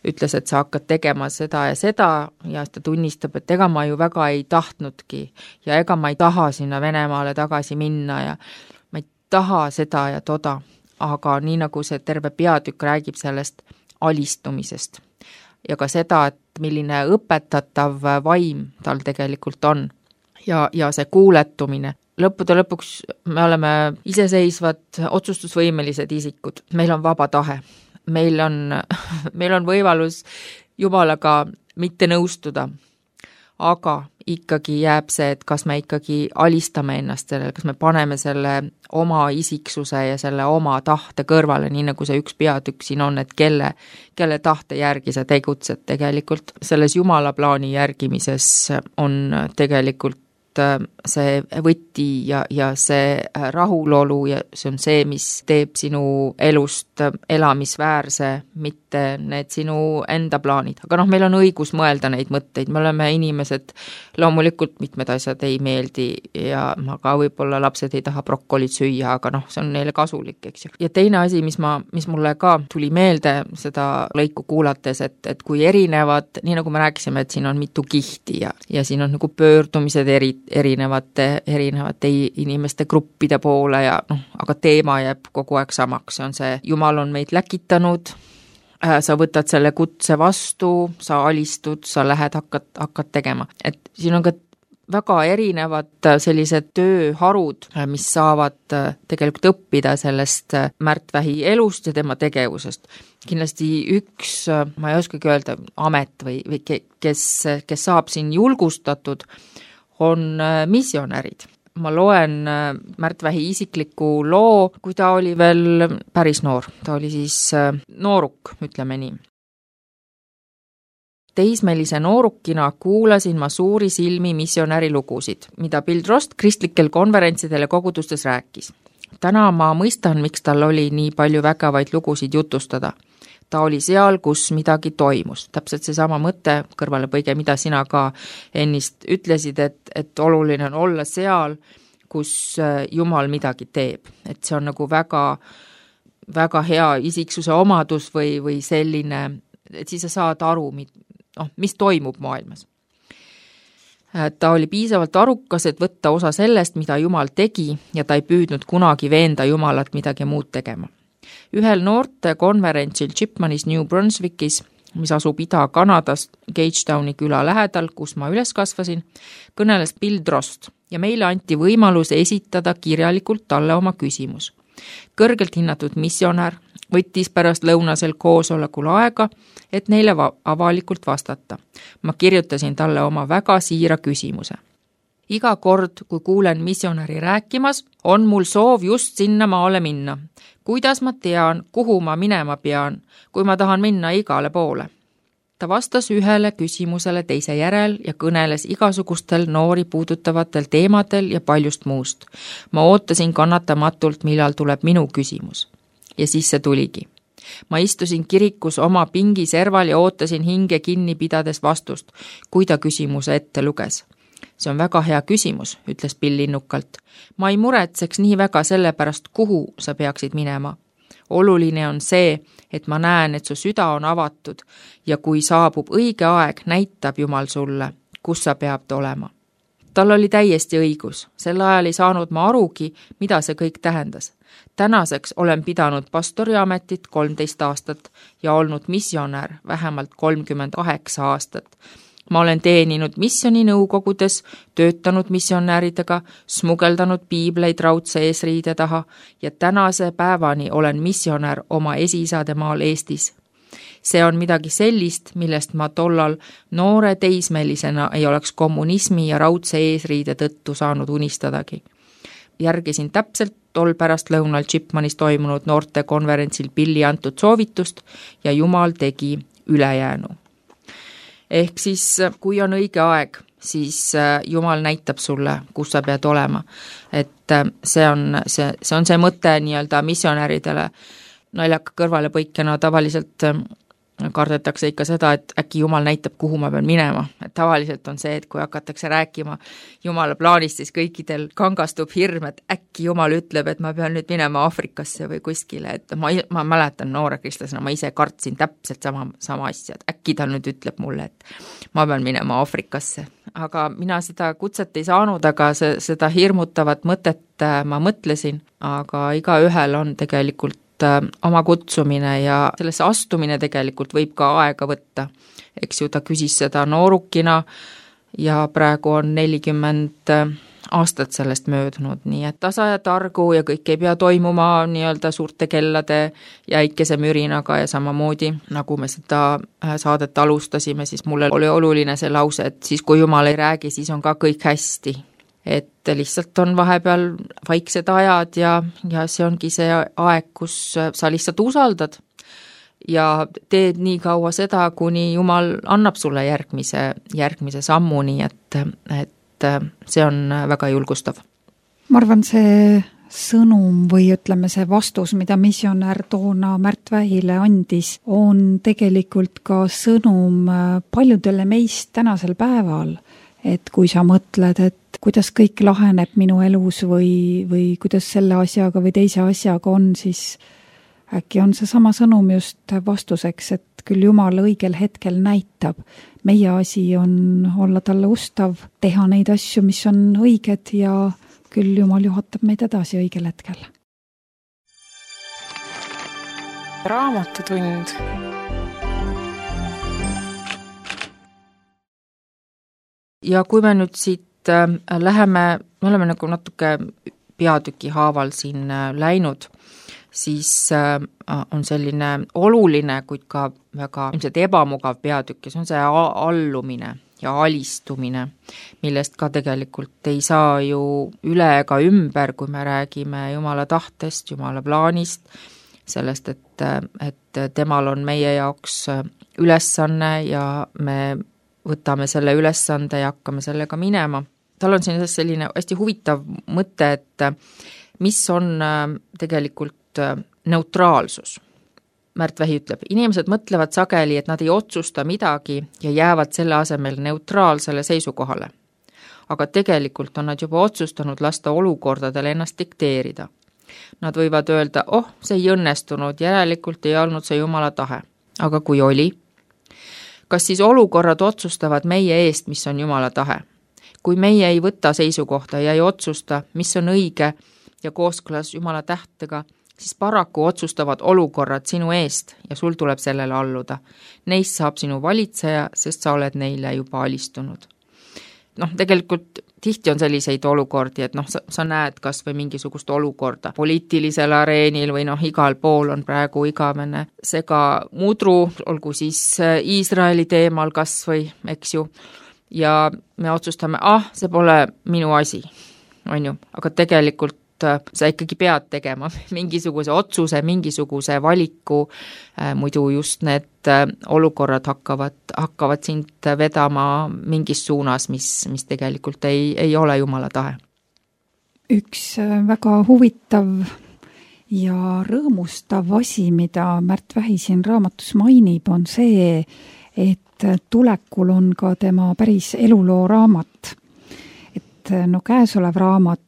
ütles, et sa hakkad tegema seda ja seda ja ta tunnistab, et ega ma ju väga ei tahtnudki ja ega ma ei taha sinna Venemaale tagasi minna ja ma ei taha seda ja toda. Aga nii nagu see terve peatükk räägib sellest alistumisest ja ka seda, et milline õpetatav vaim tal tegelikult on ja, ja see kuuletumine. Lõppude lõpuks me oleme iseseisvad otsustusvõimelised isikud, meil on vaba tahe, meil on, meil on võimalus Jumalaga mitte nõustuda, aga ikkagi jääb see, et kas me ikkagi alistame ennast sellele, kas me paneme selle oma isiksuse ja selle oma tahte kõrvale, nii nagu see üks peatükk siin on, et kelle, kelle tahte järgi sa tegutsed tegelikult. Selles Jumala plaani järgimises on tegelikult see võti ja, ja see rahulolu ja see on see, mis teeb sinu elust elamisväärse, mitte need sinu enda plaanid. Aga noh, meil on õigus mõelda neid mõtteid, me oleme inimesed, loomulikult mitmed asjad ei meeldi ja aga võib-olla lapsed ei taha brokolit süüa, aga noh, see on neile kasulik, eks ju. Ja teine asi, mis, ma, mis mulle ka tuli meelde seda lõiku kuulates, et, et kui erinevad, nii nagu me rääkisime, et siin on mitu kihti ja, ja siin on nagu pöördumised eri erinevate, erinevate inimeste gruppide poole ja noh, aga teema jääb kogu aeg samaks, see on see, Jumal on meid läkitanud, sa võtad selle kutse vastu, sa alistud, sa lähed, hakkad, hakkad tegema. Et siin on ka väga erinevad sellised tööharud, mis saavad tegelikult õppida sellest Märtvähi elust ja tema tegevusest. Kindlasti üks, ma ei oskagi öelda, amet või, või kes, kes saab siin julgustatud, on missionärid. Ma loen Märtvähi isikliku loo, kui ta oli veel päris noor. Ta oli siis nooruk, ütleme nii. Teismelise noorukina kuulasin ma suuri silmi missionäri lugusid, mida Bill Drost kristlikel konverentsidel ja kogudustes rääkis. Täna ma mõistan, miks tal oli nii palju vägevaid lugusid jutustada. Ta oli seal, kus midagi toimus. Täpselt see sama mõte, kõrvalepõige, mida sina ka ennist ütlesid, et, et oluline on olla seal, kus Jumal midagi teeb. Et see on nagu väga, väga hea isiksuse omadus või, või selline, et siis sa saad aru, noh, mis toimub maailmas. Ta oli piisavalt arukas, et võtta osa sellest, mida Jumal tegi ja ta ei püüdnud kunagi veenda Jumalat midagi muud tegema. Ühel noorte konverentsil Chipmanis New Brunswickis, mis asub Ida-Kanadas Gagetowni küla lähedal, kus ma üles kasvasin, kõneles Bill Drost ja meile anti võimalus esitada kirjalikult talle oma küsimus. Kõrgelt hinnatud missionär võttis pärast lõunasel koosolekul aega, et neile avalikult vastata. Ma kirjutasin talle oma väga siira küsimuse. Iga kord, kui kuulen missionäri rääkimas, on mul soov just sinna maale minna. Kuidas ma tean, kuhu ma minema pean, kui ma tahan minna igale poole? Ta vastas ühele küsimusele teise järel ja kõneles igasugustel noori puudutavatel teemadel ja paljust muust. Ma ootasin kannatamatult, millal tuleb minu küsimus. Ja siis see tuligi. Ma istusin kirikus oma pingi serval ja ootasin hinge kinni pidades vastust, kui ta küsimuse ette luges. See on väga hea küsimus, ütles Bill innukalt. Ma ei muretseks nii väga selle pärast, kuhu sa peaksid minema. Oluline on see, et ma näen, et su süda on avatud ja kui saabub õige aeg, näitab Jumal sulle, kus sa peab olema. Tal oli täiesti õigus. Sel ajal ei saanud ma arugi, mida see kõik tähendas. Tänaseks olen pidanud pastoriametit kolmteist aastat ja olnud missionär vähemalt kolmkümmend kaheksa aastat. Ma olen teeninud missioni nõukogudes, töötanud missionääridega, smugeldanud piibleid raudse eesriide taha ja tänase päevani olen missionär oma esiisade maal Eestis. See on midagi sellist, millest ma tollal noore teismelisena ei oleks kommunismi ja raudse eesriide tõttu saanud unistadagi. Järgisin täpselt tol pärast lõunal Chipmanis toimunud noorte konverentsil Billi antud soovitust ja Jumal tegi ülejäänu. Ehk siis, kui on õige aeg, siis Jumal näitab sulle, kus sa pead olema. Et see on see, see, on see mõte nii-öelda missionäridele naljaka kõrvalepõikena tavaliselt kardetakse ikka seda, et äkki Jumal näitab, kuhu ma pean minema. Et tavaliselt on see, et kui hakatakse rääkima Jumala plaanist, siis kõikidel kangastub hirm, et äkki Jumal ütleb, et ma pean nüüd minema Afrikasse või kuskile. Et ma, ma mäletan noore kristlasena, ma ise kartsin täpselt sama, sama asja, et äkki ta nüüd ütleb mulle, et ma pean minema Afrikasse. Aga mina seda kutset ei saanud, aga see, seda hirmutavat mõtet ma mõtlesin, aga iga ühel on tegelikult oma kutsumine ja sellesse astumine tegelikult võib ka aega võtta. Eks ju, ta küsis seda noorukina ja praegu on nelikümmend aastat sellest möödunud, nii et tasa ja targu ja kõik ei pea toimuma nii-öelda suurte kellade ja äikese mürinaga ja samamoodi, nagu me seda saadet alustasime, siis mulle oli oluline see lause, et siis kui Jumal ei räägi, siis on ka kõik hästi. Et lihtsalt on vahepeal vaiksed ajad ja, ja see ongi see aeg, kus sa lihtsalt usaldad ja teed nii kaua seda, kuni Jumal annab sulle järgmise, järgmise sammu, nii et, et see on väga julgustav. Ma arvan, see sõnum või ütleme see vastus, mida missionär toona Märt Vähile andis, on tegelikult ka sõnum paljudele meist tänasel päeval. Et kui sa mõtled, et kuidas kõik laheneb minu elus või, või kuidas selle asjaga või teise asjaga on, siis äkki on see sama sõnum just vastuseks, et küll Jumal õigel hetkel näitab. Meie asi on olla talle ustav, teha neid asju, mis on õiged ja küll Jumal juhatab meid edasi õigel hetkel. Raamatutund. Ja kui me nüüd siit äh, läheme, me oleme nagu natuke peatüki haaval siin äh, läinud, siis äh, on selline oluline, kuid ka väga ilmselt ebamugav peatükk ja see on see allumine ja alistumine, millest ka tegelikult ei saa ju üle ega ümber, kui me räägime Jumala tahtest, Jumala plaanist, sellest, et, et temal on meie jaoks ülesanne ja me võtame selle ülesande ja hakkame sellega minema. Tal on siin selline hästi huvitav mõte, et mis on tegelikult neutraalsus. Märt Vähi ütleb, inimesed mõtlevad sageli, et nad ei otsusta midagi ja jäävad selle asemel neutraalsele seisukohale. Aga tegelikult on nad juba otsustanud lasta olukordadele ennast dikteerida. Nad võivad öelda, oh, see ei õnnestunud, järelikult ei olnud see Jumala tahe. Aga kui oli, kas siis olukorrad otsustavad meie eest, mis on Jumala tahe? Kui meie ei võta seisukohta ja ei otsusta, mis on õige ja kooskõlas Jumala tähtega, siis paraku otsustavad olukorrad sinu eest ja sul tuleb sellele alluda. Neist saab sinu valitseja, sest sa oled neile juba alistunud. Noh, tegelikult tihti on selliseid olukordi, et noh, sa, sa näed kas või mingisugust olukorda poliitilisel areenil või noh, igal pool on praegu igavene sega mudru, olgu siis Iisraeli teemal kas või, eks ju, ja me otsustame, ah, see pole minu asi, on ju, aga tegelikult sa ikkagi pead tegema mingisuguse otsuse, mingisuguse valiku, muidu just need olukorrad hakkavad, hakkavad sind vedama mingis suunas, mis, mis tegelikult ei, ei ole Jumala tahe. Üks väga huvitav ja rõõmustav asi, mida Märt Vähi siin raamatus mainib, on see, et tulekul on ka tema päris eluloo raamat. Et no käesolev raamat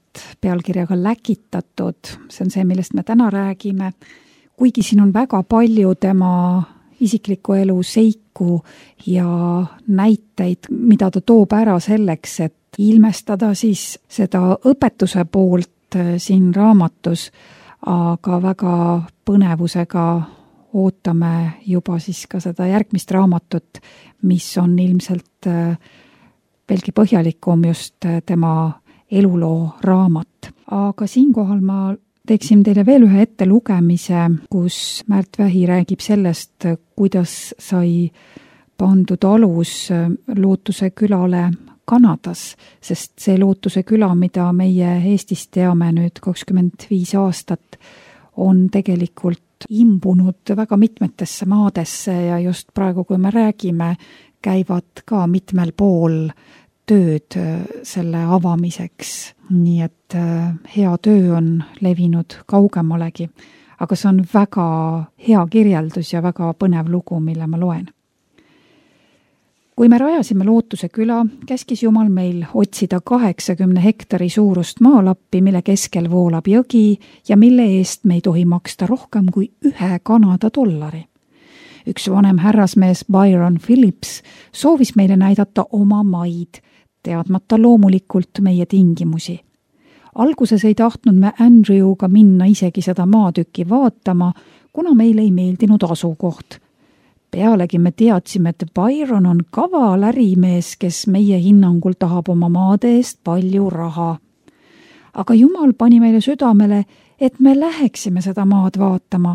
pealkirjaga Läkitatud, see on see, millest me täna räägime, kuigi siin on väga palju tema isikliku elu seiku ja näiteid, mida ta toob ära selleks, et ilmestada siis seda õpetuse poolt siin raamatus, aga väga põnevusega ootame juba siis ka seda järgmist raamatut, mis on ilmselt veelgi põhjalikum just tema eluloo raamat. Aga siinkohal ma teeksin teile veel ühe ettelugemise, kus Märt Vähi räägib sellest, kuidas sai pandud alus Lootuse külale Kanadas, sest see Lootuse küla, mida meie Eestis teame nüüd kakskümmend viis aastat, on tegelikult imbunud väga mitmetesse maadesse ja just praegu, kui me räägime, käivad ka mitmel pool tööd selle avamiseks, nii et hea töö on levinud kaugemalegi, aga see on väga hea kirjeldus ja väga põnev lugu, mille ma loen. Kui me rajasime Lootuse küla, käskis Jumal meil otsida kaheksakümne hektari suurust maalappi, mille keskel voolab jõgi ja mille eest me ei tohi maksta rohkem kui ühe Kanada dollari. Üks vanem härrasmees Byron Phillips soovis meile näidata oma maid, teadmata loomulikult meie tingimusi. Alguses ei tahtnud me Andrewga minna isegi seda maatükki vaatama, kuna meile ei meeldinud asukoht. Pealegi me teadsime, et Byron on kaval ärimees, kes meie hinnangul tahab oma maade eest palju raha. Aga Jumal pani meile südamele, et me läheksime seda maad vaatama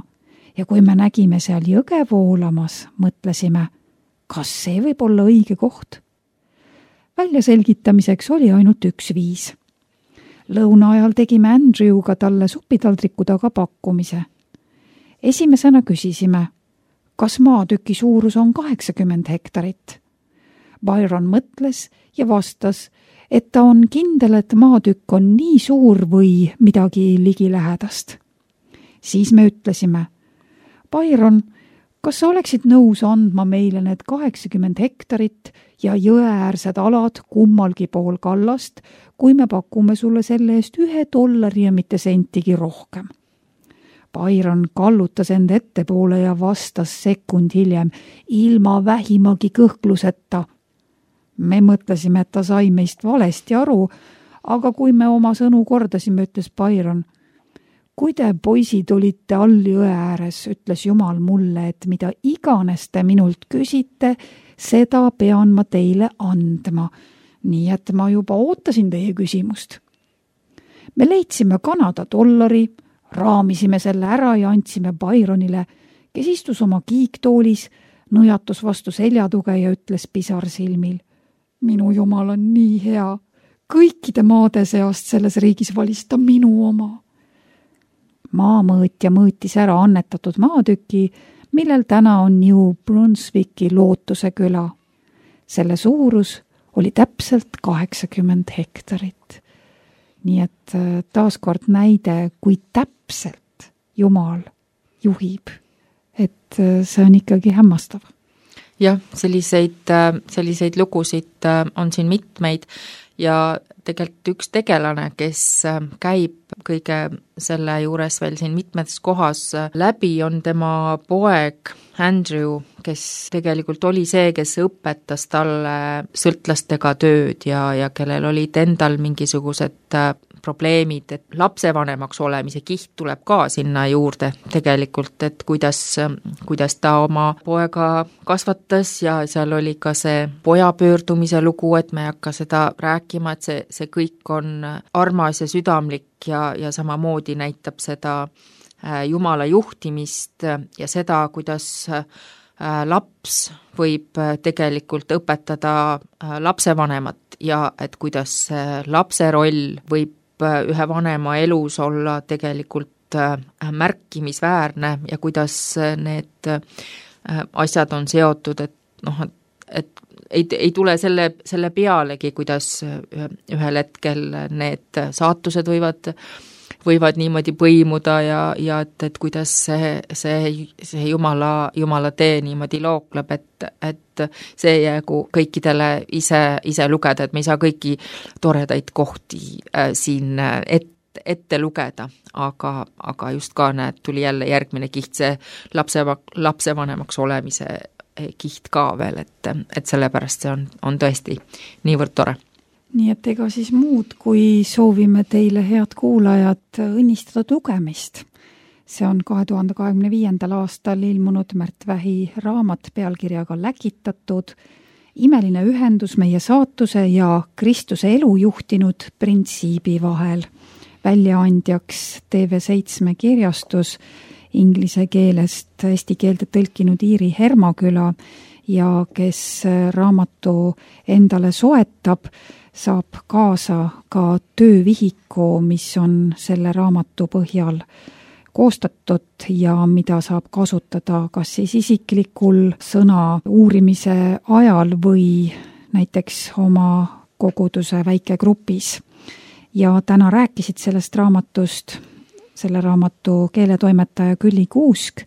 ja kui me nägime seal jõge voolamas, mõtlesime, kas see võib olla õige koht? Välja selgitamiseks oli ainult üks viis. Lõuna ajal tegime Andrewga talle supitaldriku taga pakkumise. Esimesena küsisime, kas maatüki suurus on kaheksakümmend hektarit. Byron mõtles ja vastas, et ta on kindel, et maatükk on nii suur või midagi ligilähedast. Siis me ütlesime, Byron, kas sa oleksid nõus andma meile need kaheksakümmend hektarit ja jõeäärsed alad kummalgi pool kallast, kui me pakume sulle selle eest ühe dollari ja mitte sentigi rohkem? Byron kallutas end ettepoole ja vastas sekund hiljem ilma vähimagi kõhkluseta. Me mõtlesime, et ta sai meist valesti aru, aga kui me oma sõnu kordasime, ütles Byron, kui te poisid olite all jõe ääres, ütles Jumal mulle, et mida iganes te minult küsite, seda pean ma teile andma. Nii et ma juba ootasin teie küsimust. Me leidsime Kanada dollari, raamisime selle ära ja andsime Byronile, kes istus oma kiiktoolis, nõjatus vastu seljatuge ja ütles pisar silmil. Minu Jumal on nii hea. Kõikide maade seast selles riigis valis ta minu oma. Maamõõtja mõõtis ära annetatud maatüki, millel täna on New Brunswicki Lootuse küla. Selle suurus oli täpselt kaheksakümmend hektarit. Nii et taaskord näide, kui täpselt Jumal juhib, et see on ikkagi hämmastav. Jah, selliseid, selliseid lugusid on siin mitmeid ja tegelikult üks tegelane, kes käib kõige selle juures veel siin mitmetes kohas läbi, on tema poeg Andrew, kes tegelikult oli see, kes õpetas talle sõltlastega tööd ja, ja kellel olid endal mingisugused probleemid, et lapsevanemaks olemise kiht tuleb ka sinna juurde tegelikult, et kuidas, kuidas ta oma poega kasvatas ja seal oli ka see poja pöördumise lugu, et me ei hakka seda rääkima, et see, see kõik on armas ja südamlik ja, ja samamoodi näitab seda Jumala juhtimist ja seda, kuidas laps võib tegelikult õpetada lapsevanemat ja et kuidas lapse roll võib ühe vanema elus olla tegelikult märkimisväärne ja kuidas need asjad on seotud, et noh, et ei, ei tule selle, selle pealegi, kuidas ühel hetkel need saatused võivad, võivad niimoodi põimuda ja, ja et, et kuidas see, see, see jumala, jumala tee niimoodi lookleb, et, et see jäägu kõikidele ise, ise lugeda, et me ei saa kõiki toredaid kohti äh, siin ette ette lugeda, aga, aga just ka näed, tuli jälle järgmine kiht, see lapse, lapsevanemaks olemise kiht ka veel, et, et sellepärast see on, on tõesti niivõrd tore. Nii et ega siis muud, kui soovime teile, head kuulajad, õnnistada lugemist. See on kahe tuhande kahekümne viiendal aastal ilmunud Märt Vähi raamat pealkirjaga Läkitatud, imeline ühendus meie saatuse ja Kristuse elu juhtinud printsiibi vahel. Väljaandjaks T V seitse kirjastus, inglise keelest eesti keelde tõlkinud Iiri Hermaküla ja kes raamatu endale soetab, saab kaasa ka töövihiku, mis on selle raamatu põhjal koostatud ja mida saab kasutada kas siis isiklikul sõna uurimise ajal või näiteks oma koguduse väikegrupis. Ja täna rääkisid sellest raamatust, selle raamatu keeletoimetaja Külli Kuusk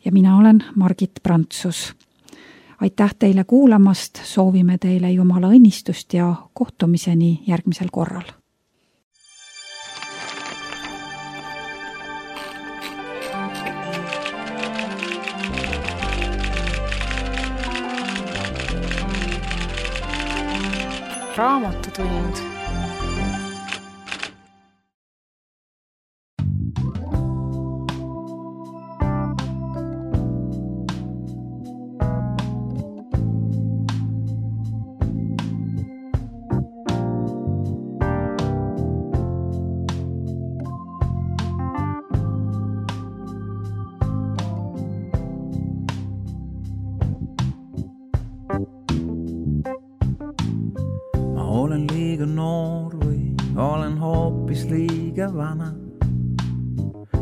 ja mina olen Margit Prantsus. Aitäh teile kuulamast, soovime teile Jumala õnnistust ja kohtumiseni järgmisel korral. Raamatutund. Olen liiga noor või olen hoopis liiga vana.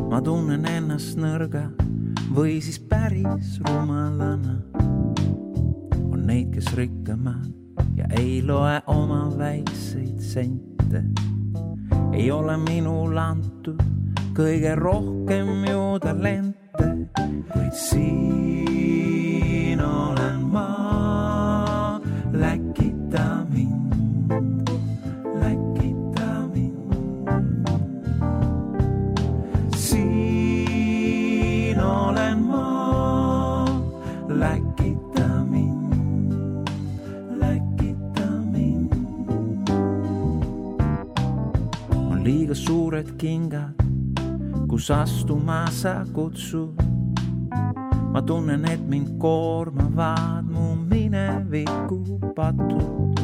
Ma tunnen ennast nõrga või siis päris rumalana. On neid, kes rikkavad ja ei loe oma väikseid sente. Ei ole minul antud kõige rohkem ju talente, kuid siin olen ma, läkita mind. Liiga suured kingad, kus astuma sa kutsud. Ma tunnen, et mind koormavad mu mineviku patud.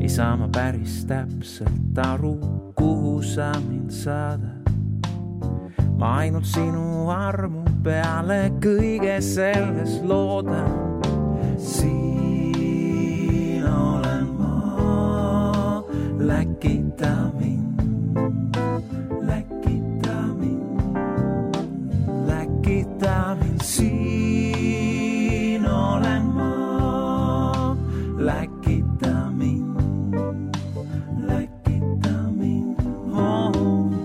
Ei saa ma päris täpselt aru, kuhu sa mind saadad. Ma ainult sinu armu peale kõige selles loodan. Siin olen ma, läkita mind. Siin olen ma, läkita mind, läkita mind. Oh,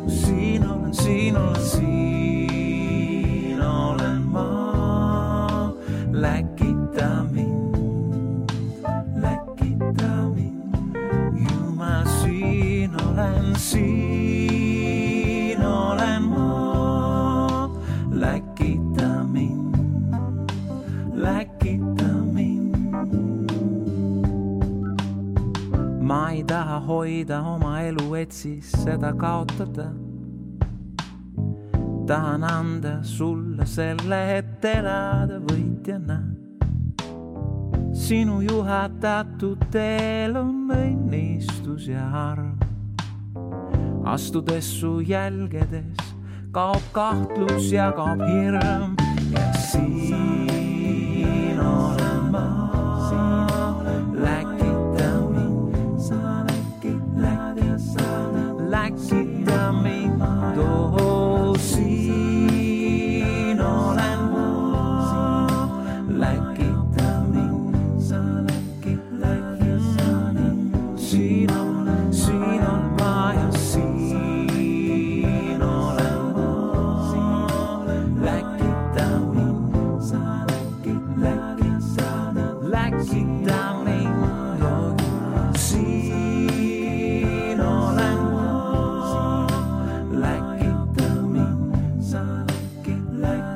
siin olen, siin olen, siin olen ma, läkita mind, läkita mind. Jumal, siin olen, siin olen ma, läkita mind, läkita mind. Ma ei taha hoida oma elu, et siis seda kaotada. Tahan anda sulle selle, et elada võitjana. Sinu juhatatud teel on õnnistus ja arm. Astudes su jälgedes kaob kahtlus ja kaob hirm. Ja siin läkita mind, siin olen ma, läkita mind, sa läkita.